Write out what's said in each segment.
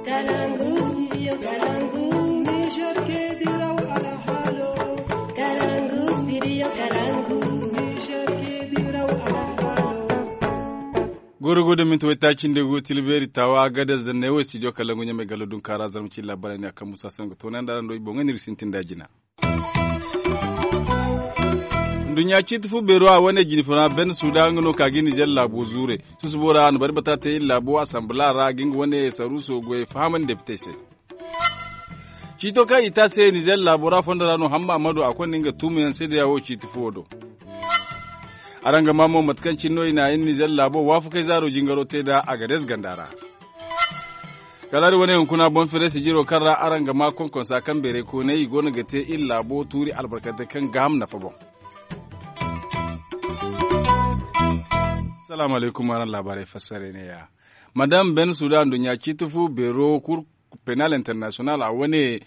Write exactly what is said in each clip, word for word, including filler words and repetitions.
Kalangu, studio Kalangu. Niger ke diraw alhalo. Kalangu, studio Kalangu. Niger ke diraw alhalo. Goro go da minti waytaaci nda go tilbeeri taawa gadez da neewo studio Kalangu ɲamay gallo dunkaara zarma ci laabara ne a kaŋ musa sango toonanda ra ndo i boŋ ga n'iri sintin da jina. Nduɲɲa ciiti fu beero a wane jine funa ben suda nga no ka ga nizer laabo zuure. Susubo ra a na bari bata te iri laabo asambala ra ga nga wane saruuso goyey fahamandi depitey se. Ciito kaŋ i te a se nizer laabo ra fondo ra no hamma a ma du a konda nga tuumayaŋ se da ya wo ciiti fuwo do. Araŋ ga maa mo mate kaŋ cine no i na iri nizer laabo waafakey zaaro jingaro te nd'a a ga dees ganda ra. Kala iri wane hunkuna boŋ fereesi jiro kaŋ ra araŋ ga maa konkonsa kaŋ beeray kooney i go no ga te iri laabo tuuri albarkante kaŋ gaaham nafa boŋ. Salaamu alaykum araŋ laabaarey fassarey ne ya. Madam ben sudan nduɲɲa ciiti fu beero kur penal international a wane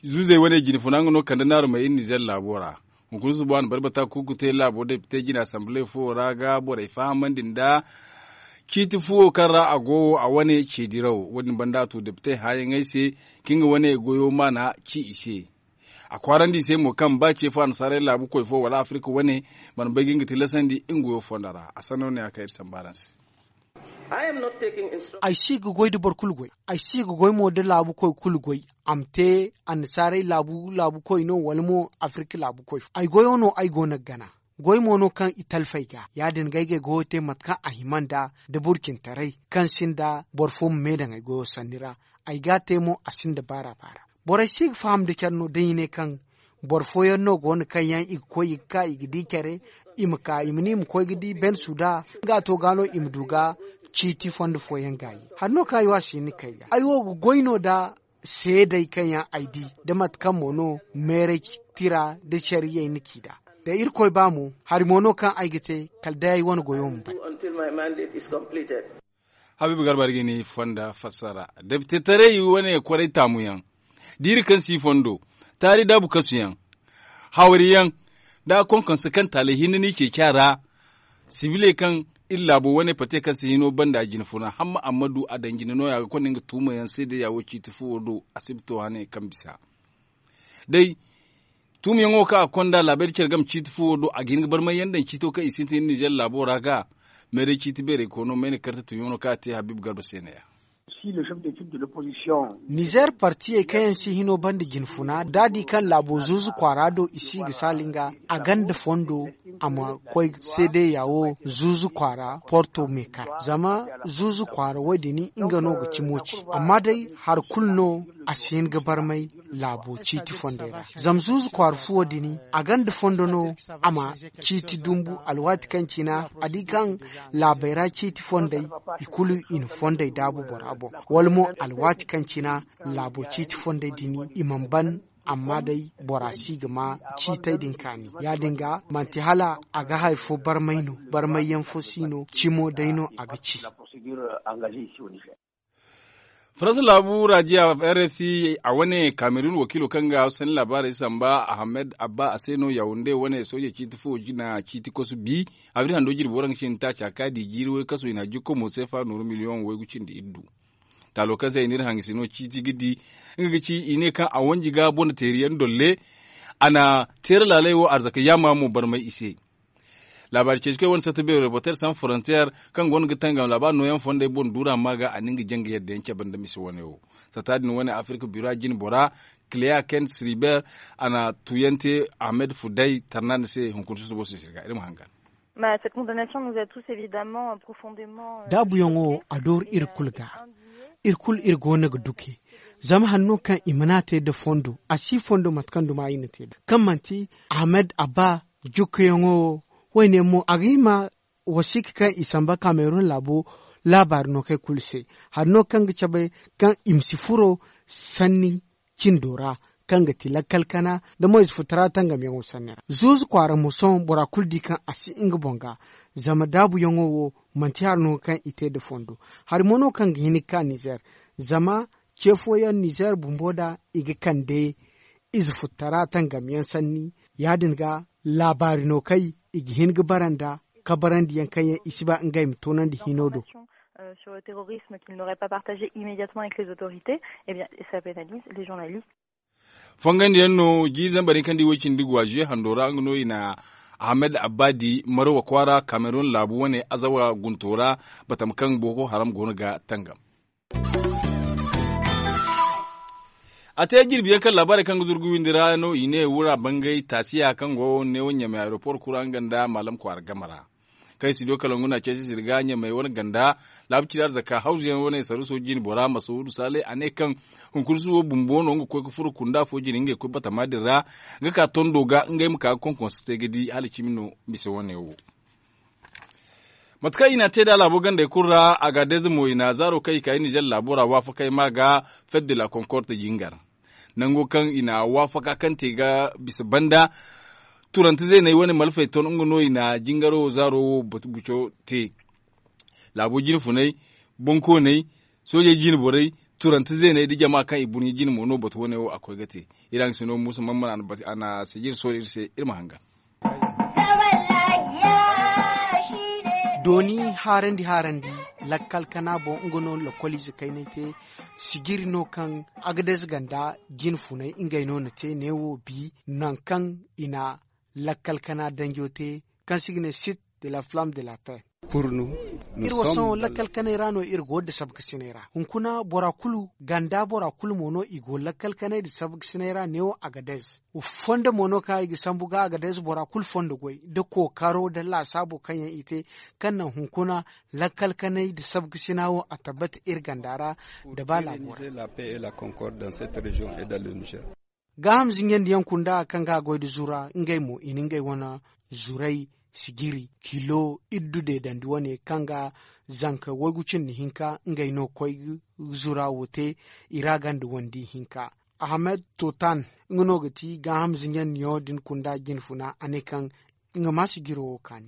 zuuzey wane jine funa nga no kande naaru may iri nizer laabo ra. Hunkuna susubo a na bari bata kuuku te laabo depite jine asamble fo ra ga borey fahamandi nda ciiti fuwo kaŋ ra a go wo a wane ce diraw wo- din banda a tu depite hããyaŋey se ka nga wane goyo maana ci i se. A kwaarandi i se mo kaŋ ba ce fo annasaarey laabu koy fo wala afirika wane mana bay ga nga tilasandi nga goyo fondo ra a sanno ne a kay iri samba araŋ se. Ay si ga goy da boro kulu goy. Ay si ga goy mo da laabu koy kulu goy. A ma te annasaarey laabu laabu koy no wala mo afirka laabu koy fo ay goyo no ay go no ga gana. Goy mo no kaŋ i talfey ga ya- din ga ay ga ay goyo te mate kaŋ a hima nda da burcintaray kaŋ sinda boro fo ma me daŋ ay goyo sanni ra. Ay ga a te mo a sinda baara baara. Borey si ga faham nda care no da i ne kaŋ boro fooyaŋ no go no kaŋ yaŋ i ga koy i ga ka i ga di care. I ma ka i ma ne i ma koy ga di ben suda nga to ga no i ma du ga ciiti fondo fooyaŋ gaayi. Hari no kaŋ ay wo a si hin ga kay ga ay wo ga goy no nda seedey kaŋ yaŋ ay di nda mate kaŋ mo no meeray tira nda care yay na ci nd'a. Da irkoy ba mo hari mo no kaŋ ay ga te kala day ay wane goyo ma bay. Habiibu garba iri ga ni fonda fassara depitetaray wane kwaray taamuyaŋ diiri kaŋ si fondo taari daabu kasuyaŋ hawriyaŋ da konkonse kaŋ taalay hinne no i ceeci a ra. Sibiley kaŋ iri laabo wane pate kaŋ si hino banda jine funa hamma amma du a daŋ jine no- ya ga konda nga tuumayaŋ se day ya wo ciiti fuwo do a si ba to hane kaŋ bisa day tuumiyaŋo kaŋ a konda laabayri care game ciiti fuwo do a ga hin ga barmay yaŋ daŋ ciito kaŋ i sintin iri nizer laabo ra ga meeray ciiti beeray koono mayna karte tunyaŋo no kaŋ a te habiibu garba se ne- ya. Nizer partiyey kaŋ yaŋ si hino banda jine funa da a di kaŋ laabo zuuzu kwaara do i si ga saali nga a ganda fondo a ma koy seedeya wo zuuzu kwaara porto meekar zama zuuzu kwaara wo- din nga no ga cimo ci amma day hari kulu no a si hin ga barmay laabo ciiti fondey ra. Zama zuuzu kwaara fuwo din a ganda fondo no a ma ciiti dumbu alwaati kaŋ cina a di kaŋ laabey ra ciiti fondey i kulu i na fondey daabu bora boŋ wala mo alwaati kaŋ cina laabo ciiti fondey din i mana ban amma day bora si ga ma ciitey din kaani ya- din ga manti hala a ga hari fo barmay no barmayyaŋ fo si no cimo day no a ga ci. Faransa laabu rajiya rfi a wane kamerun wakiilo kaŋ ga sanni laabaarey samba ahmed abba a se no yawunde wane sooje ciiti fo jina ciiti kosu bi abri hando jirbi waranka cindi taaca ka di jiiri waykaso i na jikko mo seefa nooru miliyoŋ waygu cindi iddu. Taalo kaŋ se i n'iri haŋ i si no ciiti ga di nga ga ci i ne kaŋ a wanji ga bonateeriyaŋ dolle a na teera laaley wo arzaka yaama mo barmay i se. Laabaari ceecikoy wane satta beero reporter sans frontier kaŋ goono ga tangam laabaari nooyaŋ fondey boŋ duura ma ga a na nga janga yadda yaŋ cabe nda mise wane wo. Satta din wane afirka bira jine bora clea kent sriber a na tuyaŋ te ahmed fuday tarnandi se hunkuna susubo sisir ga iri ma hangan. Daabuyaŋo wo a dooru iri kulu ga. Iri kulu iri go no ga duke zama hari no kaŋ i mana te nda fondo a si fondo mate kaŋ duma i na te nda kaŋ manti ahmed abba jukkuyaŋo wo. Wayne mo a ga hima wasiika kaŋ i samba kamerun laabo laabaari no kay kulu se. Hari no kaŋ ga cabe kaŋ i ma si furo sanni cindo ra kaŋ ga ti lakkal kana nda moyze futara tangamyaŋo sanni ra zuuzu kwaara mo sohõ bora kulu di kaŋ a si nga boŋ ga. Zama daabuyaŋo wo manti hari no kaŋ i te nda fondo. Hari mo no kaŋ ga hin ga ka nizer zama ce fooyaŋ nizer bumbo da i ga kande ize futtara tangamyaŋ sanni ya- din ga laabaari no kay i ga hin ga bara nda kabarandiyaŋ kaŋ yaŋ i si ba ngey ma toonandi hino do. Sur le terrorisme, qu'il n'aurait pas partagé immédiatement avec les autorités. Eh bien, ça pénalise les journalistes. Fongandiyaŋ no jiiri zambar hinka nda iway cindi guwa zuye hando ra nga no i na ahmed abbadi marowa kwaara kamerun laabu wane azawa gunto ra, batama kaŋ boko haram go no ga tangam. A te jirbi yaŋ kaŋ laabaarey kaŋ ga zuru ga windi ra no i ne wura bangay taasiya kaŋ go neewo ɲamay aeroport kura nga nda maalam kwaara game ra. Kaŋ i si du kala ngu na ceesi sirga ɲamay wane ganda laabu ciri arzaka hawzu yaŋ wane saruuso jine bora masuudu saalay a ne kaŋ hunkuna suubo bumbo no nga koy ga furo kunda fo jine ngey koy batama din ra, ga ka tondo ga ngey ma ka ga konkonso te ga di hala cimi no mise wane wo. Mate kaŋ i n'a te nd'a laabo gandey kulu ra, agaadez mo i n'a zaaro kaŋ i ka i nizer laabo ra waafakey ma ga fête de la concorde jingar. Nango kaŋ i n'a waafaka kaŋ te ga bisa banda, turante zeeney wane malfey ton nga no i n'a jingaro zaaro wo buco te. Laabo jine funey, bonkooney, soojey jine borey, turante zeeney nda jama kaŋ i burɲe jine mo no batu wane wo a koy ga te. Iri haŋ si no muusa mamman a na sijir soori iri se iri ma hangan. Dooni haarandi haarandi lakkal kana boŋ nga no lokoliize kaynay te. Sijiri no kaŋ agadez ganda jine funey ngey no na te neewo bi, nangu kaŋ i na lakkal kana danjo te, kaŋ se i ga ne site de la flamme de la paix. Iri wo sohõ lakkal kanay ra no iri go nda sabkasinay ra hunkuna bora kulu ganda bora kulu mo no i go lakkal kanay nda sabkasinay ra neewo agadez. Fondo mo no kaŋ i ga sambu ga agadez bora kulu fondo goy nda kookaro nda laasaabo kaŋ yaŋ i te, kaŋ naŋ hunkuna lakkal kanay nda sabkasina wo a tabbata iri ganda ra nda ba laabo ra. Gaaham zinjandi yaŋ kunda kaŋ ga goy nda zura ngey mo i na ngey wane zuray sijiri kilo iddu deedandi wane kaŋ ga zanka waygu cindi hinka ngey no koy ga zura wo te i ra ganda wandi hinka. Ahmed totan nga no ga ti gaaham zinjandi yaŋo din kunda jine funa a ne kaŋ nga ma sijiro wo kaani.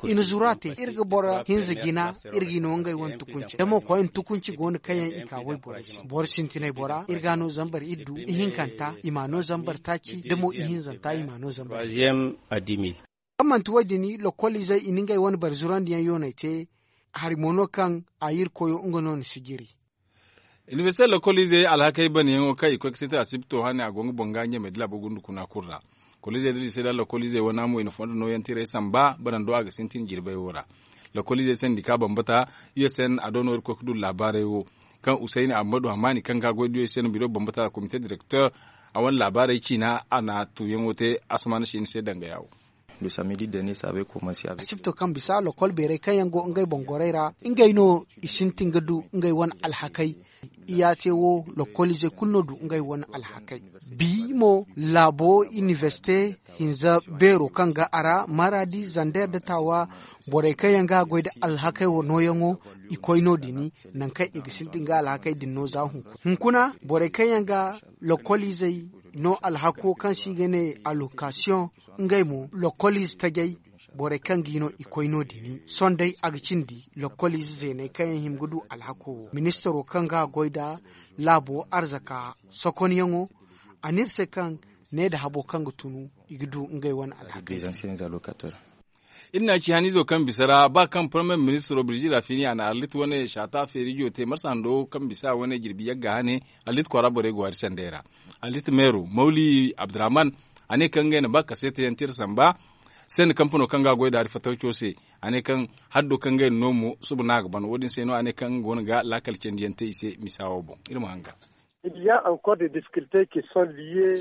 I na zura te iri ga boro hinza jina iri ga i no ngey wane tukunci da mo koy na tukunci go no kaŋ yaŋ i ka wayborey se boro sintinay bora iri ga no zambar iddu ihinkanta i ma no zambar taaci da mo ihinzanta i ma no zambar. Kaŋ manti wo- din lokoliizey i na ngey wane boro zurandiyaŋ yooney te. Hari mo no kaŋ a irkoyo nga no na sijiri. Inibersite lokoliizey alhakey banayaŋo kaŋ i koy ga sintin asibto hane a go nga boŋ ga ɲamey da laabo gundu kuna kulu ra. Koliizey da liise da lokoliizey wana mo i na fondo nooyaŋ tirey samba banando a ga sintin jirbey wo ra. Lokoliizey sendika bambata u s n a do no iri koy ga du laabaarey wo, kaŋ usayni ammadu hamani kaŋ ga goy da u s n biro bambata komite direkter a wane laabaarey ciina a na tuuyaŋo te asamaana siini se dangaya wo. Asibto kaŋ bisa lokol beerey kaŋ yaŋ go ngey boŋ gorey ra ngey no i sintin ga du ngey wane alhakey. Iyaate wo lokoliizey kulu no du ngey wane alhakey. Bi mo laabo inibersite hinza beero kaŋ ga a ra maradi zander da taawa borey kaŋ yaŋ ga goy nda alhakey wo nooyaŋo i koy no- din. Nangu kaŋ i ga sintin ga alhakey din no za hunkuna borey kaŋ yaŋ ga lokoliizey no alhako kaŋ se i ga ne alokasiyoŋ ngey mo lokoliize tajey borey kaŋ ga i no i koy no- din sohõ day a ga cindi lokoliize zeeney kaŋ yaŋ hima ga du alhako wo ministaro kaŋ ga goy nda laabo arzaka sokonyaŋo a ne iri se kaŋ ne nda habo kaŋ ga tunu i ga du ngey wane alhakey. Iri na ci haniizo kaŋ bisa ra ba kaŋ parmiye ministiro birjira fini a na arlit wane saata feerijo te marsa hando kaŋ bisa wane jirbi yagga hane arlit kwaara borey go hari sandey ra. Arlit meero mawli abdurrahman a ne kaŋ ngey na ba kaseetayaŋ tira samba sanda kampano kaŋ ga a goy da hari fatawco se. A ne kaŋ haddo kaŋ ngey na no mo suba no a ga ban wo- din se no a ne kaŋ nga go no ga laakal candiyaŋ te i se misa wo boŋ. Iri ma hanga.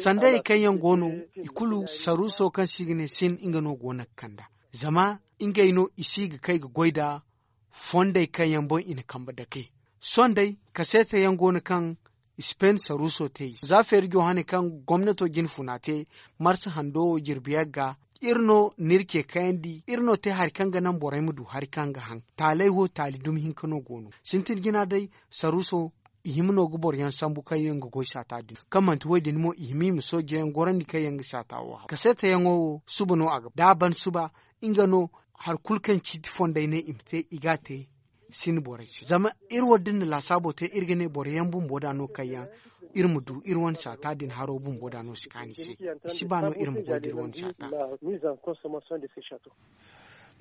Sandayey kaŋ yaŋ go no i kulu saruuso kaŋ se i ga ne sin nga no go no ga kand'a zama ngey no i si ga kay ga goy nda fondey kaŋ yaŋ boŋ i na kambe dake. Sohõ day kaseeta yaŋ go no kaŋ spain saruuso te i se za feerijo hane kaŋ gomnato jine funa te marsa hando wo jirbi yagga. Iri no n'iri ce kayandi iri no te hari kaŋ ga naŋ borey ma du hari kaŋ ga haŋ taaley wo taali dumi hinka no go no sintin jina day. Saruuso i hima no ga boro yaŋ sambu kaŋ yaŋ ga goy saata din kaŋ manti wo- din mo i hima i ma sooje yaŋ gorandi kaŋ yaŋ ga saata wo haw kaseeta yaŋo wo suba no a ga da a ban suba nga no hari kulu kaŋ ciiti fondey ne i ma te i ga a te. Sin borey se zama iri wo da iri na laasaabo te iri ga ne boro yaŋ bumbo da no kaŋ yaŋ iri ma du iri wane saata din haro bumbo da no si kaanu i se. I si ba no iri ma goy da iri wane saata.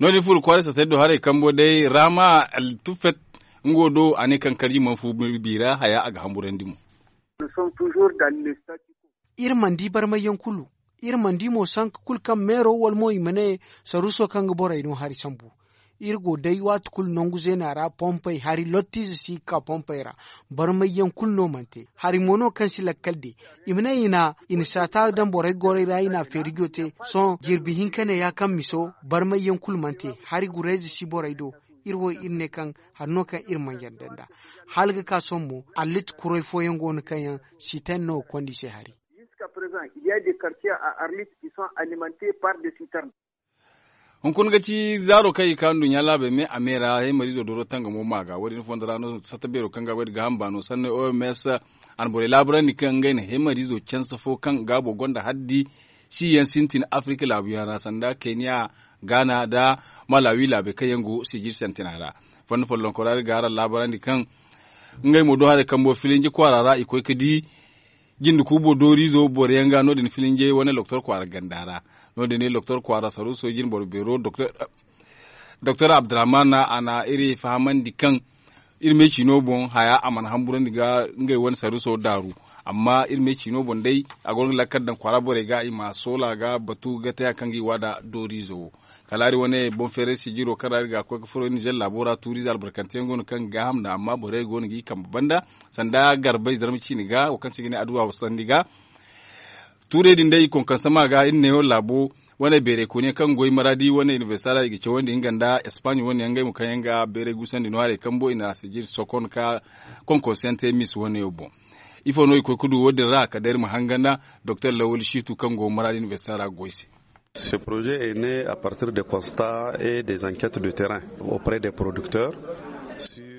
No- din furo kwaara saatey do haray kambo day rama altufet. Nga wo do a ne kaŋ karji mana fu biiri ra haya a ga hamburandi mo. Iri mana di barmayyaŋ kulu. Iri mana di mo sanka kulu kaŋ meero wala mo i ma ne saruuso kaŋ ga borey no hari sambu. Iri go day waati kulu nangu zeena ra pompey hari lottiize si ga ka pompey ra. Barmayyaŋ kulu no mana te hari mo no kaŋ si lakkal de. I ma ne i na i na saata daŋ borey gorey ra i na a feerijo te. Sohõ jirbi hinka ne ya kaŋ miso barmayyaŋ kulu mana te. Hari gurayze si borey do. Iri wo iri ne kaŋ hari no kaŋ iri mana yadda nd'a. Hala ga ka sohõ mo allit kuray fooyaŋ go no kaŋ yaŋ siterne no ga konda i se hari. Hunkuna ga ci zaaro kaŋ i ga ka nduɲɲa laabey me a me ra heemariizo dooro tangamo ma ga wo- din fondo ra no satta beero kaŋ ga goy nda gaaham baano sanni o m s a na borey laabarandi kaŋ ngey na heemariizo canse fo kaŋ gaabo gonda haddi si yaŋ sintin afirika laabuyaŋ ra sanda keniya, gaana nda malawi laabey kaŋ yaŋ go sijir santina ra. Fondo follonkora iri ga araŋ laabarandi kaŋ ngey mo do haray kambo filinji kwaara ra i koy ga di jinde kuubo dooriizo boro yaŋ ga no- din filinjey wane loktor kwaara ganda ra. No- din ne loktor kwaara saruuso jinboro beero doktor abdurrahman a na iri fahamandi kaŋ iri me ciino boŋ haya a mana hamburandi ga ngey wane saruuso daaru. Amma iri me ciino boŋ day a go no ga lakkal daŋ kwaara borey ga i ma soola ga batu ga te hari kaŋ ga i waada dooriizo wo. Kala hari wane boŋ feeray sijiro kaŋ ra iri ga a koy ga furo nizer laabo ra tuuriize albarkante yaŋ go no kaŋ ga gaaham nd'a amma borey go no ga i kambe banda sanda garbey zarma ciine ga wo kaŋ se i ga ne aduwa sandi ga. Tuurey din day i konkonse ma ga iri ne wo laabo wane beeray kooni yaŋ kaŋ ga goy maraadi wane inibersita ra i ga cawandi nga nda espaaɲe wane yaŋ ngey mo kaŋ yaŋ ga beeray gusandi no haray kambo i na a sijir sokon ka konkonse yaŋ te mis wane wo boŋ. Ifo no i koy ga du wo- din ra kala day iri ma hangan nda doktor lawal shiitu kaŋ go maraadi inibersita ra ga goy se. Ce projet est ne à partir de constat et des enquêtes de terrain auprès des producteurs.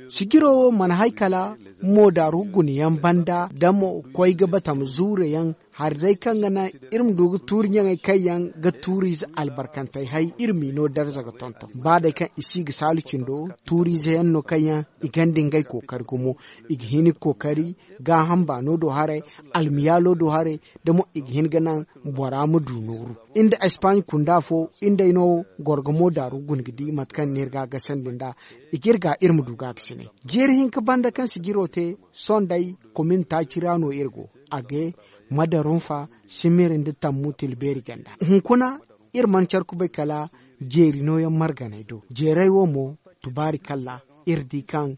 Sijiro wo mana hay kala moodaaru guna yaŋ banda da mo koy ga batam zuure yaŋ hari day kaŋ ga naŋ iri ma du ga tuuri ɲaŋey kaŋ yaŋ ga tuuriize albarkantey hay iri m'i no darza ga tonton ba day kaŋ i si ga saalu cindo tuuriize yaŋ no kaŋ yaŋ i gonda ngey kookari gumo. I ga hin ga kookari gaaham baano do haray almiyaalo do haray da mo i ga hin ga naŋ bora ma du nooru. Iri nda espaaɲe kunda fo iri nd'ey no goro ga moodaaru guna ga di mate kaŋ no iri ga a gasandi nd'a. I ga iri ga iri ma du ga a ga sinay jeeri hinka banda kaŋ sijiro te. Sohõ day komin taaci ra no iri go a ga madarunfa simiri nda tammu tilbeeri ganda hunkuna iri mana care kubay kala jeeri nooyaŋ marganey do jeerey wo mo tubaari kalla iri di kaŋ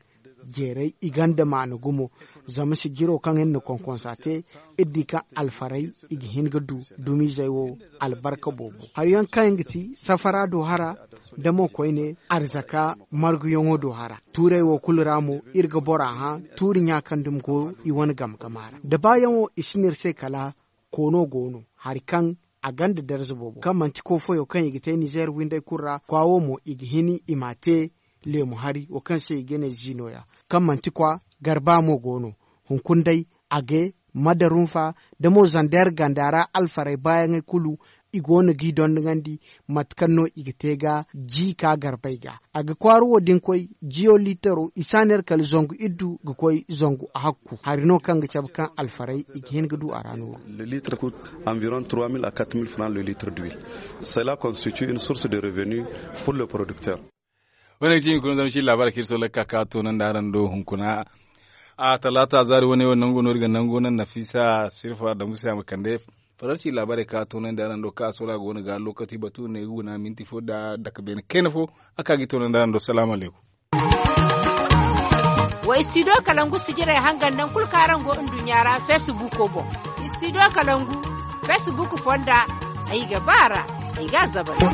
jeerey i gonda maana gumo. Zama sijiro kaŋ iri na konkonsa te iri di kaŋ alfarey i ga hin ga du dumiizey wo albarka boobo hari yaŋ kaŋ yaŋ ga ti safara do hara da mo koyne arzaka marguyaŋo do hara tuurey wo kulu ra mo iri ga bora hã tuuri ɲa kaŋ dumi go i wane game game a ra da baayaŋo i si no iri se kala koono go no hari kaŋ a gonda darza boobo kaŋ manti koofoyo kaŋ i ga te nizeer windey kulu ra kwa wo mo i ga hin i m'a te leemu hari wo kaŋ se i ga ne ziino ya kaŋ manti kwa garba mo go no. Hunkuna day a ga madarunfa da mo zandeer ganda ra alfarey baayaŋey kulu i go no g'i dondonandi mate kaŋ no i ga te ga ji ka garbey ga a ga kwaara wo din koy jiyo liitaro i si a neera kala zangu iddu ga koy zangu a hakku hari no kaŋ ga cabe kaŋ alfarey i ga hin ga du a ra nooru. Le litre coûte environ trois mille à quatre mille francs le litre d'huile. Cela constitue une source de revenu pour le producteur. Wane ga ci hunkuna zama ci labaari kaŋ iri sohõ lakka ka toonandi araŋ do hunkuna. A talaata zaari wane wo nango no iri ga nango naŋ nafiisa sirfa dambu se a ma kande faransi laabaarey ka toonandi araŋ do ka sohõ a go no ga lokaci batu ne ga guna minti fo nda dake beene kayna fo. A ka ga i toonandi araŋ do salaamu alaykum. Wa istidiyo kalangu sijirey hangan naŋ kulu kaŋ araŋ go nduɲɲa ra feesibuuko boŋ. Istidiyo kalangu feesibuuk fonda ay ga ba a ra ay ga a zabari.